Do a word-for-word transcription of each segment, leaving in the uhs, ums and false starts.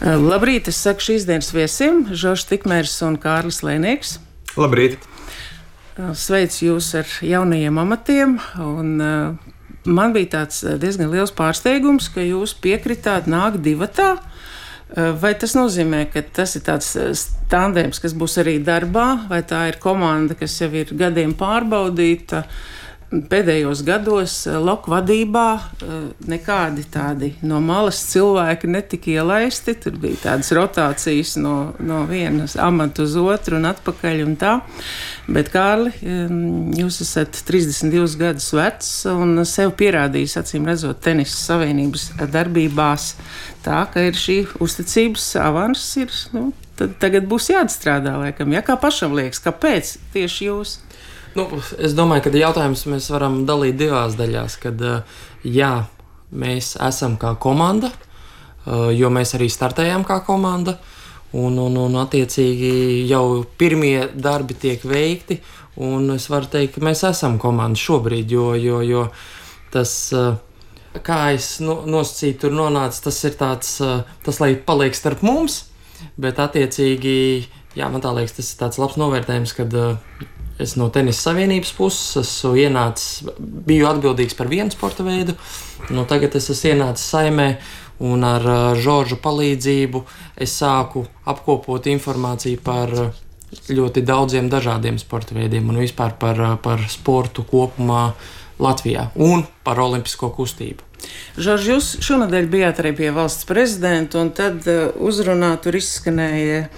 Labrīt, es saku šīs dienas viesiem, Žoržs Tikmērs un Kārlis Lēnieks. Labrīt! Sveicu jūs ar jaunajiem amatiem, un uh, man bija tāds diezgan liels pārsteigums, ka jūs piekritāt nākt divatā. Uh, vai tas nozīmē, ka tas ir tāds tandēms, kas būs arī darbā, vai tā ir komanda, kas jau ir gadiem pārbaudīta? Pēdējos gados Loku vadībā nekādi tādi no malas cilvēki netika ielaisti. Tur bija tādas rotācijas no, no vienas amata uz otru un atpakaļ un tā. Bet, Kārli, jūs esat trīsdesmit divus gadus vecs un sev pierādījis, acīm redzot, Tenisa Savienības darbībās tā, ka ir šī uzticības avans ir, nu, tad tagad būs jāatstrādā, laikam. Ja, kā pašam liekas, kāpēc tieši jūs? Nu, es domāju, ka jautājums mēs varam dalīt divās daļās. Kad, jā, mēs esam kā komanda, jo mēs arī startējam kā komanda, un, un, un attiecīgi jau pirmie darbi tiek veikti, un es varu teikt, ka mēs esam komanda šobrīd, jo, jo, jo tas, kā es nosacīju, tur nonāca, tas ir tāds, tas, lai paliek starp mums, bet attiecīgi, jā, man tā liekas, tas ir tāds labs novērtējums, kad es no Tenisa Savienības puses esmu ienācis, biju atbildīgs par vienu sporta veidu, nu tagad es esmu ienācis Saimē, un ar Žorža palīdzību es sāku apkopot informāciju par ļoti daudziem dažādiem sporta veidiem un vispār par, par sportu kopumā Latvijā un par olimpisko kustību. Žorž, jūs šonadēļ bijāt arī pie valsts prezidenta, un tad uzrunā tur izskanēja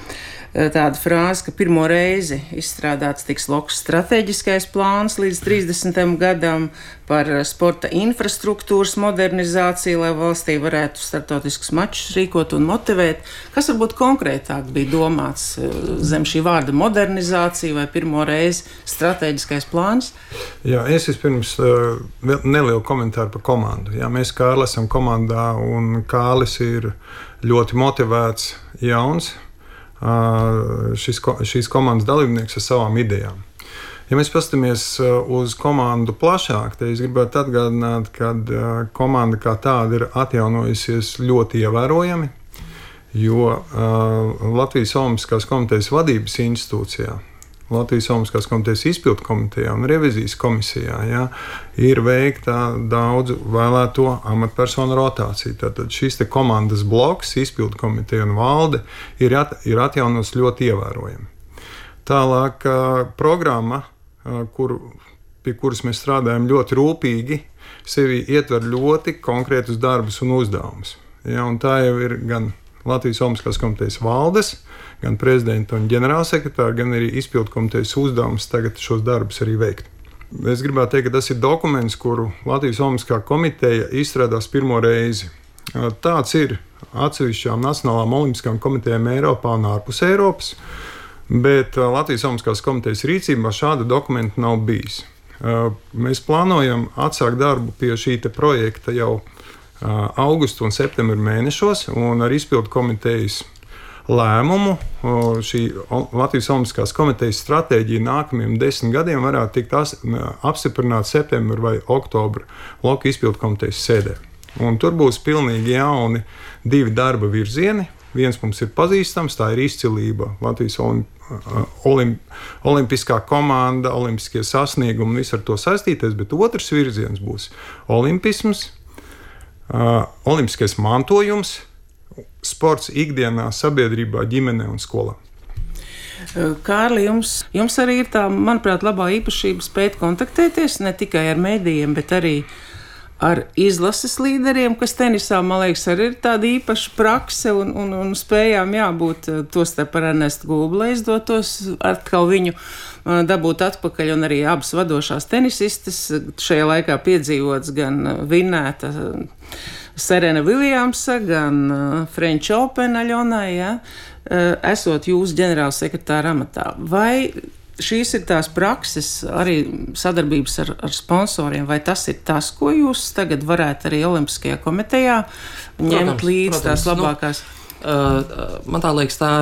tāda frāze, ka pirmo reizi izstrādāts tiks Lokas strateģiskais plāns līdz trīsdesmitajam gadam par sporta infrastruktūras modernizāciju, lai valstī varētu startautiskus mačus rīkot un motivēt. Kas varbūt konkrētāk bija domāts zem šī vārda modernizācija vai pirmo reizi strateģiskais plāns? Jā, es vispirms uh, nelielu komentāru par komandu. Jā, mēs Kārli esam komandā, un Kārlis ir ļoti motivēts jauns Šis, šīs komandas dalībnieks ar savām idejām. Ja mēs paskatāmies uz komandu plašāk, tad es gribētu atgādināt, ka komanda kā tāda ir atjaunojusies ļoti ievērojami, jo Latvijas Olimpiskās komitejas vadības institūcijā, Latvijas Olimpiskās komitejas izpildu komitejā un revizijas komisijā, ja, ir veikta daudzu vēlēto amatpersonu rotācija. Tātad šis te komandas bloks, izpildu komiteja un valde ir, at, ir atjaunots ļoti ievērojami. Tālāk programma, kur, pie kuras mēs strādājam ļoti rūpīgi, sevi ietver ļoti konkrētus darbus un uzdevumus. Ja, un tā jau ir gan Latvijas Olimpiskās komitejas valdes, gan prezidenta un ģenerālsekretāra, gan arī izpildu komitejas uzdevums tagad šos darbus arī veikt. Es gribētu teikt, ka tas ir dokuments, kuru Latvijas Olimpiskā komiteja izstrādās pirmo reizi. Tāds ir atsevišķām nacionālām olimpiskām komitejām Eiropā un ārpus Eiropas, bet Latvijas Olimpiskās komitejas rīcībā šāda dokumenta nav bijis. Mēs plānojam atsākt darbu pie šī te projekta jau augustu un septembra mēnešos, un ar izpildu komitejas lēmumu šī Latvijas Olimpiskās komitejas stratēģija nākamajiem desmit gadiem varētu tikt apstiprināta septembra vai oktobra Loku izpildu komitejas sēdē. Un tur būs pilnīgi jauni divi darba virzieni. Viens mums ir pazīstams, tā ir izcilība, Latvijas olimp, olimpiskā komanda, olimpiskie sasniegumi un viss ar to saistīties, bet otrs virziens būs olimpisms, Uh, olimpiskais mantojums, sports ikdienā, sabiedrībā, ģimenē un skolā. Kārli, jums, jums arī ir tā, manuprāt, labā īpašība spēt kontaktēties ne tikai ar mēdījiem, bet arī ar izlases līderiem, kas tenisā, man liekas, arī ir tāda īpaša prakse un, un, un spējām jābūt tostarp ar Ernestu Gulbi, lai izdotos atkal viņu dabūt atpakaļ, un arī abas vadošās tenisistes šajā laikā piedzīvots gan vinnēta Serena Viljamsa, gan French Open Aļonai, ja, esot jūsu ģenerālsekretāra amatā. Vai šīs ir tās prakses, arī sadarbības ar, ar sponsoriem, vai tas ir tas, ko jūs tagad varētu arī Olimpiskajā komitejā ņemt līdz protams, tās labākās? Nu, uh, man tā liekas, tā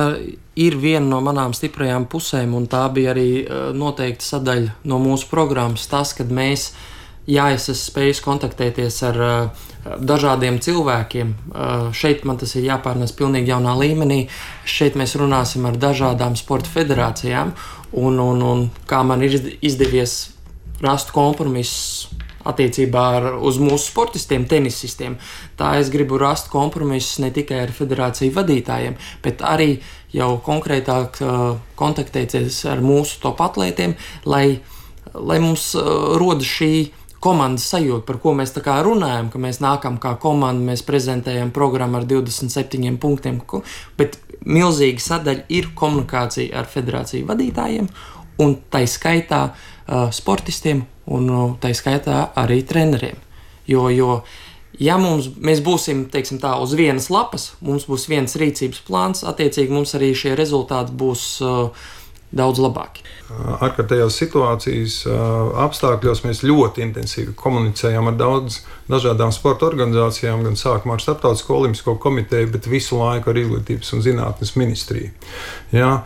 ir viena no manām stiprajām pusēm, un tā bija arī uh, noteikti sadaļa no mūsu programmas, tas, kad mēs jā, es esmu spējis kontaktēties ar uh, dažādiem cilvēkiem. Uh, šeit man tas ir jāpārnes pilnīgi jaunā līmenī. Šeit mēs runāsim ar dažādām sporta federācijām, un, un, un kā man ir izdevies rast kompromisus attiecībā ar, uz mūsu sportistiem, tenisistiem. Tā es gribu rast kompromisus ne tikai ar federāciju vadītājiem, bet arī jau konkrētāk uh, kontaktēties ar mūsu top atlētiem, lai, lai mums uh, roda šī komandas sajūta, par ko mēs tā kā runājam, ka mēs nākam kā komanda, mēs prezentējam programmu ar divdesmit septiņiem punktiem, bet milzīga sadaļa ir komunikācija ar federāciju vadītājiem un tai skaitā uh, sportistiem un uh, tai skaitā arī treneriem. Jo, jo ja mums, mēs būsim, teiksim tā, uz vienas lapas, mums būs viens rīcības plāns, attiecīgi mums arī šie rezultāti būs uh, daudz labāki. Ārkārtējās situācijas apstākļos mēs ļoti intensīvi komunicējam ar daudz dažādām sporta organizācijām, gan sākumā ar Starptautisko olimpisko komiteju, bet visu laiku ar Izglītības un zinātnes ministriju. Ja?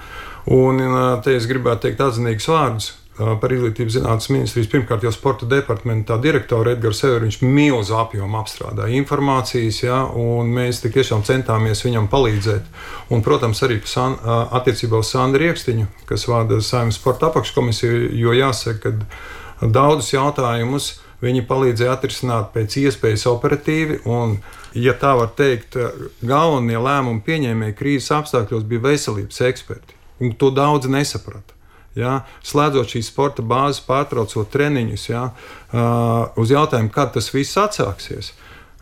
Un te es gribētu teikt atzinīgus vārdus par Izglītības zinātnes ministrijas, pirmkārt jau sporta departamentā direktoru Edgars Severu, viņš milzu apjomu apstrādāja informācijas, ja, un mēs tik tiešām centāmies viņam palīdzēt. Un, protams, arī san, attiecībā uz Sandru Riekstiņu, kas vada Saeimas sporta apakškomisiju, jo jāsaka, ka daudzus jautājumus viņi palīdzēja atrisināt pēc iespējas operatīvi, un, ja tā var teikt, galvenie lēmumu pieņēmēji krīzes apstākļos bija veselības eksperti, un to daudz nesaprata. Ja, slēdzot šīs sporta bāzes, pārtraucot treniņus, ja, uh, uz jautājumu, kad tas viss atsāksies.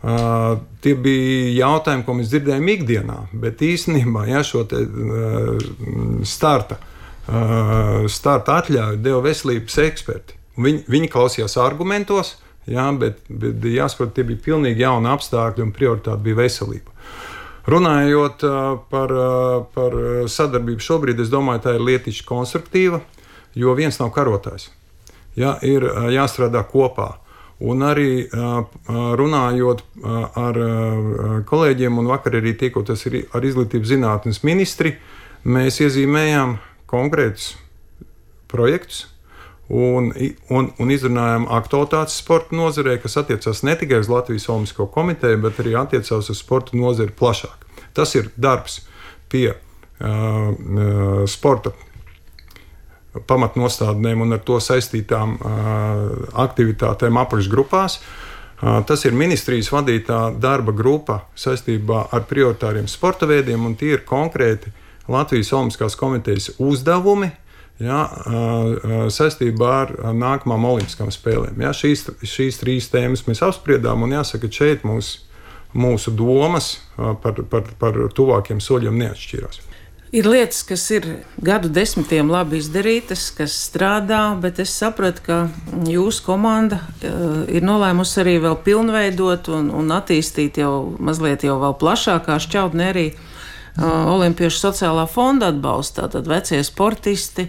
Uh, tie bija jautājumi, ko mēs dzirdējām ikdienā, bet īstenībā ja, šo te, uh, starta, uh, starta atļauju deva veselības eksperti. Viņi, viņi klausījās argumentos, ja, bet, bet jāsaprot, tie bija pilnīgi jauni apstākļi un prioritāte bija veselība. Runājot par, par sadarbību šobrīd, es domāju, tā ir lietišķi konstruktīva, jo viens nav karotājs. Ja, ir jāstrādā kopā. Un arī runājot ar kolēģiem un vakar arī tiekoties ar Izglītības zinātnes ministri, mēs iezīmējām konkrētus projektus un, un, un izrunājām aktualitātes sporta nozarē, kas attiecās ne tikai uz Latvijas Olimpisko komiteju, bet arī attiecās uz sporta nozari plašāk. Tas ir darbs pie uh, sporta pamatnostādnēm un ar to saistītām uh, aktivitātēm apakšgrupās. Uh, tas ir ministrijas vadītā darba grupa saistībā ar prioritāriem sporta veidiem, un tie ir konkrēti Latvijas Olimpiskās komitejas uzdevumi, ja, saistībā ar nākamām olimpiskām spēlēm. Ja, šīs, šīs trīs tēmas mēs apspriedām, un jāsaka, ka šeit mūs, mūsu domas par, par, par tuvākiem soļiem neatšķirās. Ir lietas, kas ir gadu desmitiem labi izdarītas, kas strādā, bet es sapratu, ka jūsu komanda uh, ir nolēmusi arī vēl pilnveidot un, un attīstīt jau mazliet jau vēl plašākā šķautnē arī Olimpiešu sociālā fonda atbalsta. Tātad vecie sportisti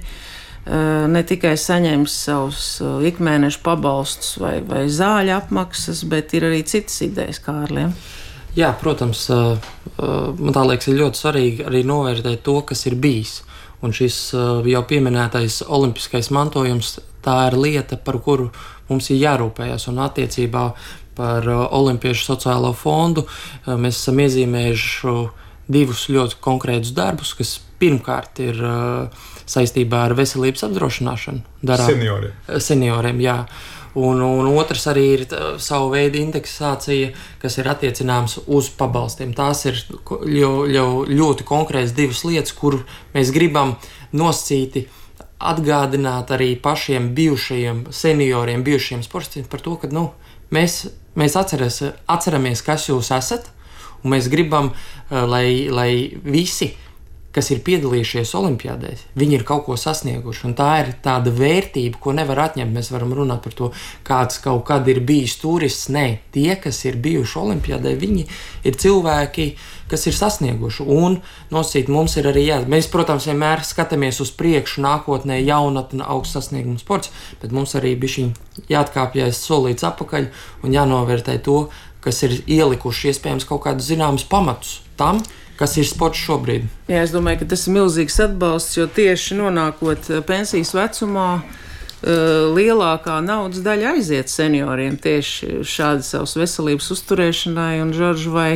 ne tikai saņems savus ikmēneša pabalstus vai, vai zāļu apmaksas, bet ir arī citas idejas, Kārlim. Jā, protams, man tā liekas, ir ļoti svarīgi arī novērtēt to, kas ir bijis. Un šis jau pieminētais olimpiskais mantojums, tā ir lieta, par kuru mums ir jārūpējas. Un attiecībā par Olimpiešu sociālo fondu mēs esam iezīmējuši divus ļoti konkrētus darbus, kas pirmkārt ir uh, saistībā ar veselības apdrošināšanu. Darām, senioriem. Senioriem, jā. Un, un otrs arī ir tā, savu veidu indeksācija, kas ir attiecināms uz pabalstiem. Tās ir ļo, ļo, ļoti konkrētas divas lietas, kur mēs gribam nosacīti atgādināt arī pašiem bijušajiem senioriem, bijušajiem sportistiem par to, ka nu, mēs, mēs atceras, atceramies, kas jūs esat, un mēs gribam, lai, lai visi, kas ir piedalījušies olimpiādēs, viņi ir kaut ko sasnieguši. Un tā ir tāda vērtība, ko nevar atņemt. Mēs varam runāt par to, kāds kaut kad ir bijis turists. Nē, tie, kas ir bijuši olimpiādē, viņi ir cilvēki, kas ir sasnieguši. Un nosīt mums ir arī jā. Mēs, protams, vienmēr skatāmies uz priekšu, nākotnē jaunatne, augsts sasniegums sports, bet mums arī bišķiņ jāatkāpjas solīts apakaļ un jānovērtē to, kas ir ielikuši iespējams kaut kādus zināmus pamatus tam, kas ir sports šobrīd. Jā, es domāju, ka tas ir milzīgs atbalsts, jo tieši nonākot pensijas vecumā, lielākā naudas daļa aiziet senioriem tieši šādi savas veselības uzturēšanai, un, Žorž, vai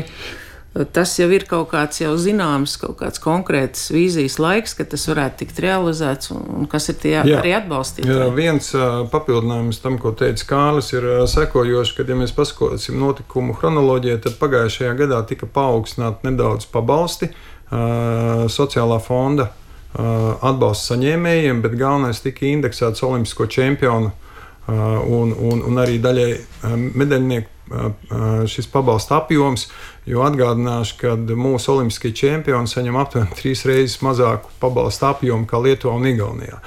tas jau ir kaut kāds jau zināms, kaut kāds konkrēts vīzijas laiks, ka tas varētu tikt realizēts, un, un kas ir tie jā, arī atbalstītāji? Jā, viens uh, papildinājums tam, ko teica Kārlis, ir uh, sekojoši, kad ja mēs paskatīsim notikumu chronoloģiju, tad pagājušajā gadā tika paaugstināti nedaudz pabalsti uh, sociālā fonda uh, atbalsta saņēmējiem, bet galvenais tika indeksēts olimpisko čempionu uh, un, un, un arī daļai uh, medaļnieku šis pabalsta apjoms, jo atgādināšu, ka mūsu olimpiskie čempioni saņem aptuveni trīs reizes mazāku pabalsta apjomu kā Lietuvā un Igaunijā.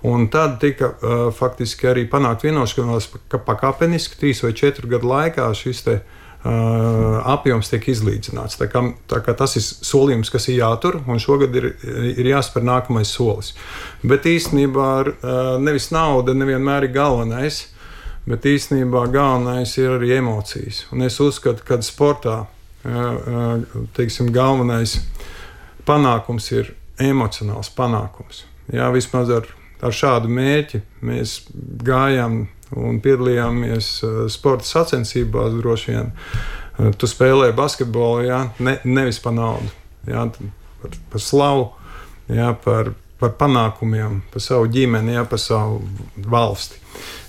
Un tad tika uh, faktiski arī panākt vienošanās, ka pakāpeniski trīs vai četru gadu laikā šis te uh, apjoms tiek izlīdzināts. Tā kā, tā kā tas ir solījums, kas ir jātur, un šogad ir, ir jāspēr nākamais solis. Bet īstenībā uh, nevis nauda nevienmēr ir galvenais, bet īstenībā galvenais ir arī emocijas. Un es uzskatu, ka sportā teiksim, galvenais panākums ir emocionāls panākums. Jā, vismaz ar, ar šādu mērķi mēs gājām un piedalījāmies sporta sacensībās droši vien. Tu spēlē basketbolu, jā, ne, nevis par naudu, jā, par, par slavu, jā, par, par panākumiem, par savu ģimeni, jā, par savu valsti.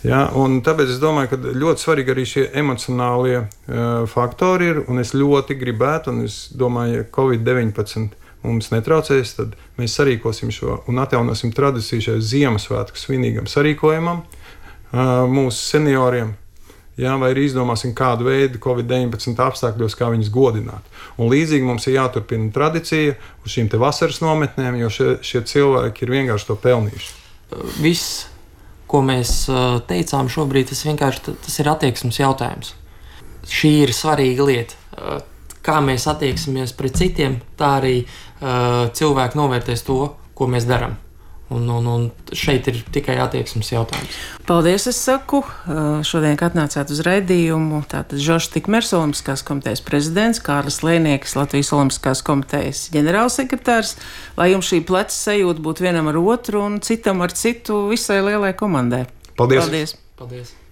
Ja, tāpēc es domāju, ka ļoti svarīgi arī šie emocionālie uh, faktori ir. Es ļoti gribētu, un es domāju, ja covid deviņpadsmit mums netraucēs, tad mēs sarīkosim šo un atjaunosim tradīciju šai Ziemassvētku svinīgam sarīkojumam uh, mūsu senioriem. Ja, vai arī izdomāsim kādu veidu covid deviņpadsmit apstākļos, kā viņus godināt. Un līdzīgi mums ir jāturpina tradīcija uz šīm te vasaras nometnēm, jo šie, šie cilvēki ir vienkārši to pelnījuši. Viss, ko mēs teicām šobrīd, tas vienkārši tas ir attieksmes jautājums. Šī ir svarīga lieta. Kā mēs attieksimies pret citiem, tā arī uh, cilvēki novērtēs to, ko mēs darām. Un, un, un šeit ir tikai attieksmes jautājums. Paldies, es saku. Šodien, kad atnācāt uz raidījumu, tātad Žoržs Tikmers, Olimpiskās komitejas prezidents, Kārlis Lēnieks, Latvijas Olimpiskās komitejas ģenerālsekretārs, lai jums šī pleca sajūta būtu vienam ar otru un citam ar citu visai lielai komandai. Paldies! Paldies. Paldies.